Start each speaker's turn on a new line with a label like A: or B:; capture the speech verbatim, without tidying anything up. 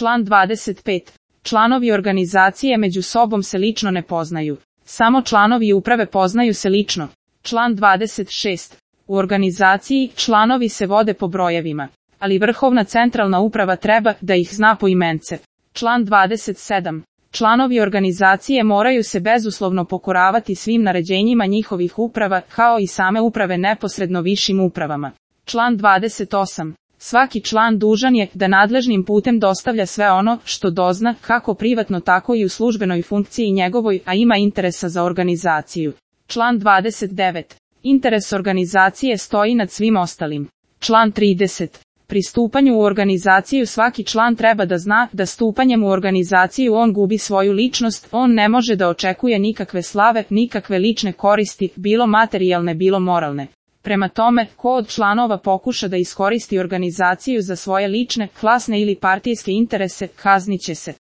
A: Član dvadeset pet. Članovi organizacije među sobom se lično ne poznaju. Samo članovi uprave poznaju se lično. Član dvadeset šest. U organizaciji članovi se vode po brojevima, ali vrhovna centralna uprava treba da ih zna poimence. Član dvadeset sedam. Članovi organizacije moraju se bezuslovno pokoravati svim naređenjima njihovih uprava, kao i same uprave neposredno višim upravama. Član dvadeset osam. Svaki član dužan je da nadležnim putem dostavlja sve ono što dozna, kako privatno tako i u službenoj funkciji njegovoj, a ima interesa za organizaciju. Član dvadeset devet. Interes organizacije stoji nad svim ostalim. Član trideset. Pri stupanju u organizaciju svaki član treba da zna da stupanjem u organizaciju on gubi svoju ličnost, on ne može da očekuje nikakve slave, nikakve lične koristi, bilo materijalne, bilo moralne. Prema tome, ko od članova pokuša da iskoristi organizaciju za svoje lične, klasne ili partijske interese, kaznit će se.